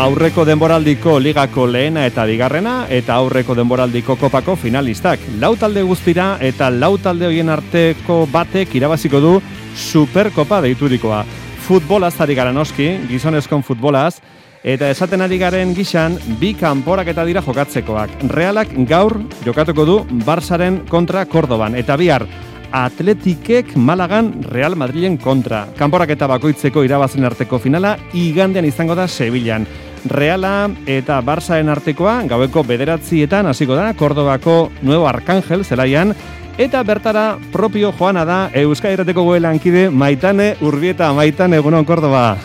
aurreko denboraldiko ligako lehena eta bigarrena eta aurreko denboraldiko kopako finalistak. 4 talde guztira eta 4 talde horien arteko batek irabaziko du Superkopa deiturikoa. Futbolaz ari gara noski, gizonezkon futbolaz, eta esaten ari garen gixan, 2 kanporaketa dira jokatzekoak. Realak gaur jokatuko du Barsaren kontra Kordoban, eta bihar Atletikek Malagan Real Madrilen kontra. Kanporaketa bakoitzeko irabazen arteko finala igandean izango da Sevillan. Reala eta Barsaren artekoa gaueko 9:00 hasiko da Kordobako Nuevo Arcángel zelaian, eta bertara propio joana da Euskal Irratiko goelankide Maitane Urbieta. Maitane, egunon Kordoba.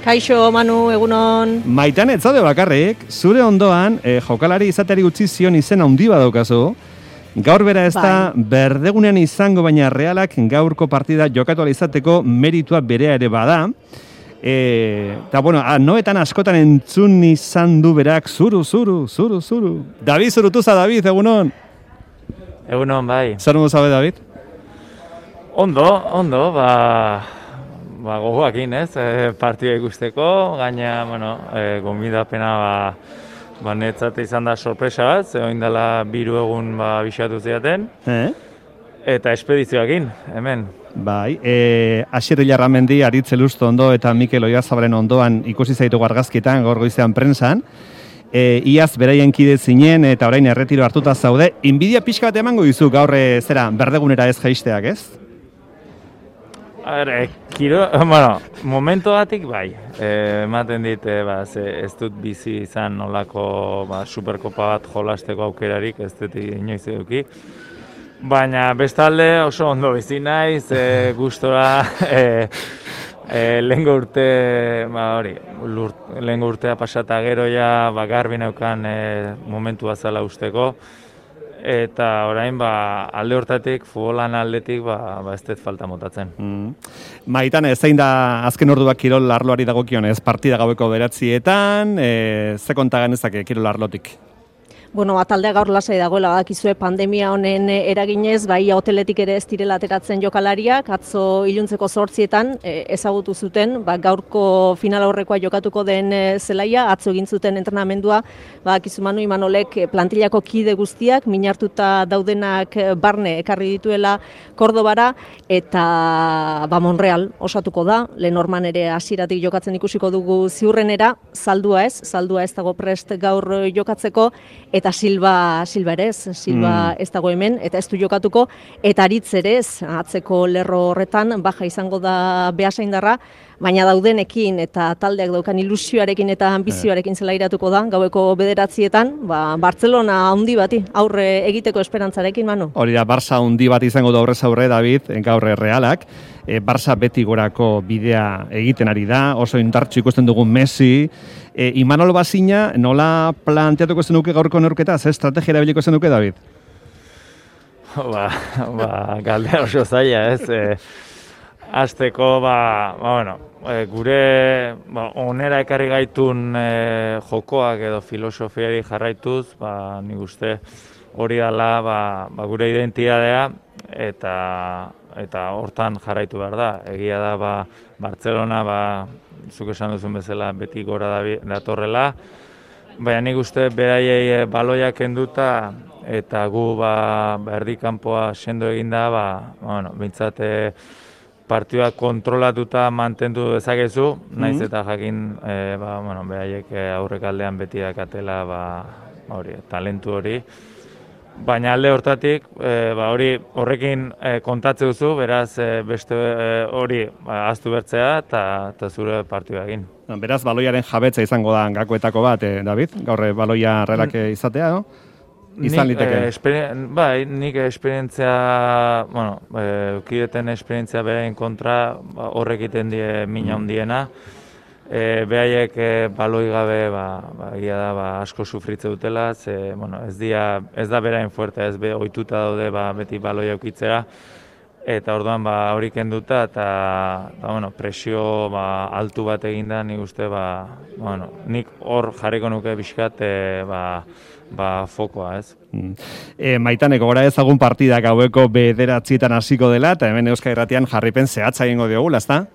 Kaixo, Manu, egunon. Maitane, ez zaude bakarrik, zure ondoan jokalari izateari utzi zion izen handi badaukazu. Gaur bera ez da berdegunean izango, baina Realak gaurko partida jokatu izateko meritua berea ere bada. Eta, bueno, noetan askotan entzun izan du berak zuru. David Zurutuza, David, egunon. Egunon, bai. Zer modu zabe, David? Ondo, gogoakin, ez? Partida ikusteko, gaina, bueno, gomidapena, netzat izan da sorpresa bat, zegoen dela 3 egun bisatu ziaten, eta espedizioakin, hemen. Bai, Asier Ilarramendi, Aritz Elusto ondo eta Mikel Oiarzabalen ondoan ikusi zaitu argazkietan, gaur goizean prentsan. Iaz beraien kide zinen eta orain erretiro hartuta zaude. Inbidia pixka bat emango dizu gaur berdegunera ez jaisteak, ez? Momento batik bai, ematen dit, ez dut bizi izan nolako Superkopa bat jolasteko aukerarik, ez dut inoiz eduki. Baina bestalde oso ondo bizi naiz, gustora, lehengo urtea pasata gero ja garbi neukan momentu bazala usteko. Eta orain alde hortatik, futbolan aldetik, ez dut falta motatzen. Maitane, zein da azken orduak kirol arloari dagokionez? Partida gaueko 9:00, ze konta ganezake kirol arlotik? Bueno, taldea gaur lasai dagoela, badakizue pandemia honen eraginez, bai hoteletik ere ez direla ateratzen jokalariak, atzo iluntzeko 8:00 ezagutu zuten, gaurko final aurrekoa jokatuko den zelaia, atzo egin zuten entrenamendua, badakizu Manu Imanolek plantillako kide guztiak, minartuta daudenak barne ekarri dituela Kordobara, eta Monreal osatuko da, Lenorman ere hasieratik jokatzen ikusiko dugu ziurrenera, saldua ez dago prest gaur jokatzeko, eta Silva ere ez, Silva ez dago hemen, eta ez du jokatuko, eta Aritz ere ez, atzeko lerro horretan, baja izango da Beasaindarra, baina daudenekin eta taldeak daukan ilusioarekin eta ambizioarekin zela iratuko da, gaueko 9:00, Bartzelona handi bati, aurre egiteko esperantzarekin, Manu. Hori da, Barça handi bat izango da aurrez aurre, David, gaur Realak. Barça beti gorako bidea egiten ari da, oso indartsu ikusten dugun Messi. Imanol Bazina, nola planteatuko zenuke gaurko neurketa? Ze estrategia erabiliko zenuke, David? Galdera oso zaila, ez? Azteko, gure onera ekarri gaitun jokoak edo filosofiari jarraituz, nik uste hori dela gure identitatea eta hortan jarraitu behar da. Egia da, Bartzelona, zuk esan duzun bezala, beti gora datorrela, baina nik uste beraiei baloiak kenduta eta gu erdikanpoa sendo eginda, bintzat partioak kontrolatuta mantendu dezakezu, naiz eta jakin beraiek aurrekaldean beti dakatela talentu hori. Baina alde hortatik, horrekin kontatze duzu, beraz beste hori ahaztu bertzea eta zure partioa egin. Beraz, baloiaren jabetza izango da gakoetako bat, David? Gaur baloia Realak izatea, no? Izan liteke. Nik esperientzia, ukideten esperientzia beraien kontra horrek egiten die mina handiena. Behaiek baloi gabe egia da asko sufritze dutela, ez da beraien fuerte, ez ohituta daude beti baloia ukitzera, eta orduan hori kenduta eta presio altu bat eginda, nik uste nik hor jarriko nuke pixkat fokoa, ez? Maitane, gogora ezagun partida gaueko 9:00 hasiko dela, eta hemen Euskal Irratian jarripen zehatza egingo diogula, ezta?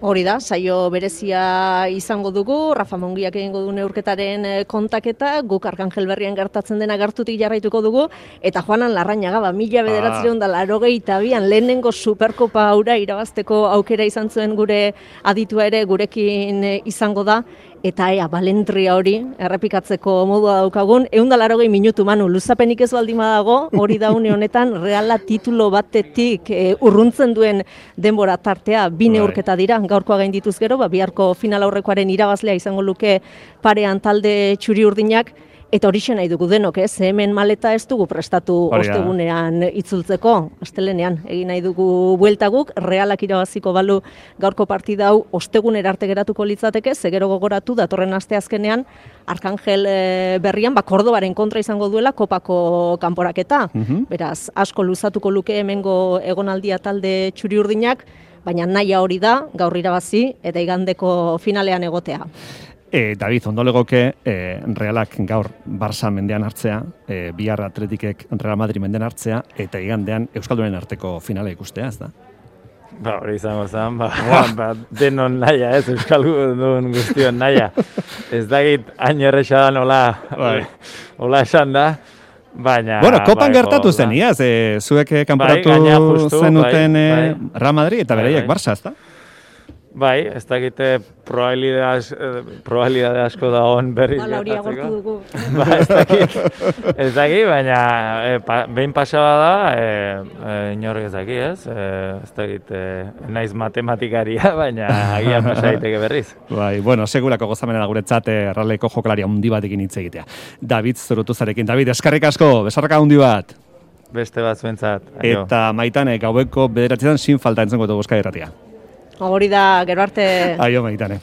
Hori da, saio berezia izango dugu, Rafa Mungiak egingo du neurketaren kontaketa, guk Arkangel Berrian gertatzen dena gertutik jarraituko dugu, eta Juanan Larrañaga, 1982an lehenengo Superkopa haura irabazteko aukera izan zuen gure aditua ere gurekin izango da, eta ea, balentria hori errepikatzeko modua daukagun, 180 minutu Manu, luzapenik ez baldin badago, hori da une honetan, Reala titulo batetik urruntzen duen denbora tartea, 2 neurketa dira, gaurkoa gaindituz gero, biharko final aurrekoaren irabazlea izango luke parean talde txuri urdinak, eta horixe nahi dugu denok, hemen maleta ez dugu prestatu ostegunean itzultzeko, astelenean egin nahi dugu buelta guk, Realak irabaziko balu gaurko partida hau ostegunera arte geratuko litzateke, zegero gogoratu datorren asteazkenean Arkangel Berrian, Kordobaren kontra izango duela kopako kanporaketa. Beraz, asko luzatuko luke hemengo egonaldia talde txuri urdinak, baina nahia hori da, gaur irabazi eta igandeko finalean egotea. David, ondo legoke Realak gaur Barça mendean hartzea, bihar Atletikek Real Madrid mendean hartzea, eta igandean Euskaldunen arteko finala ikustea, ez da? Hori izango zen, denon naia, Euskaldun guztion naia. Ez dakit hain erresa da nola esan da, baina... Bueno, kopan gertatu zen, iaz, zuek kanporatu zenuten Real Madrid eta bereiek Barça, ez da? Bai, ez dakite probabilidade asko da hon berriz gertatzeko. Ez dakit, baina behin pasaba da, inork ez dakit, ez? Ez dakit, naiz matematikaria, baina agian pasa daiteke berriz. Bai, bueno, segurako gozamenera guretzat Realeko jokalaria handi batekin hitz egitea. David Zurutuzarekin. David, eskerrik asko, besarraka handi bat. Beste bat zuentzat. Eta Maitane, gaueko 9 sin falta entzengo dugu Euskadi Irratia. Hori da, gero arte... Aio, Maitane.